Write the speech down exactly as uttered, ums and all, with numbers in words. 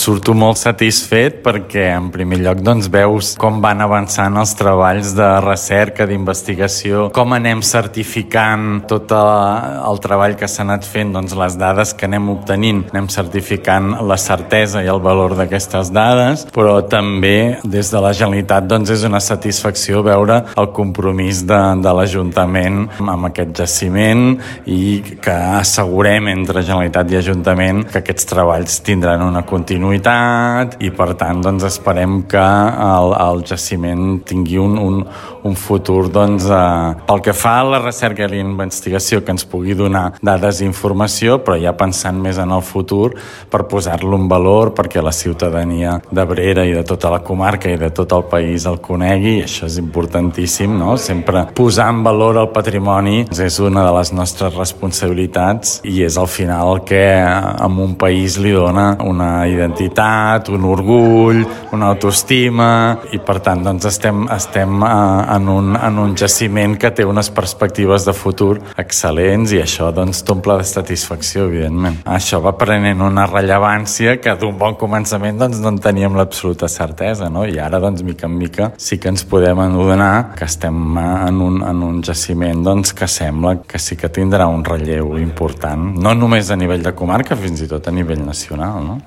surto molt satisfet perquè en primer lloc doncs veus com van avançant els treballs de recerca, d'investigació, com anem certificant tot el treball que s'ha anat fent, doncs les dades que anem obtenint, anem certificant la certesa i el valor d'aquestes dades, però també des de la Generalitat doncs és una satisfacció veure el compromís de, de l'Ajuntament amb aquest jaciment i que assegurem entre Generalitat i Ajuntament que aquests treballs tindran una continuïtat i per tant doncs esperem que el, el jaciment tingui un, un, un futur doncs, eh, pel que fa a la recerca i la investigació que ens pugui donar dades i informació, però ja pensant més en el futur per posar-lo en valor perquè la ciutadania d'Abrera i de tota la comarca i de tot el país el conegui, i això és importantíssim, no? Sempre posar en valor el patrimoni és una de les nostres responsabilitats i és al final el que a un país li dona una identitat, un orgull, una autoestima i per tant doncs estem, estem en, un, en un jaciment que té unes perspectives de futur excel·lents i això doncs t'omple de satisfacció, evidentment. Això va prenent una rellevància que d'un bon començament doncs no en teníem l'absoluta certesa, no? I ara doncs mica en mica sí que ens podem adonar que estem en un, en un jaciment doncs que sembla que sí que tindrà un relleu important, no només a nivell de comarca, fins i tot a nivell nacional, no?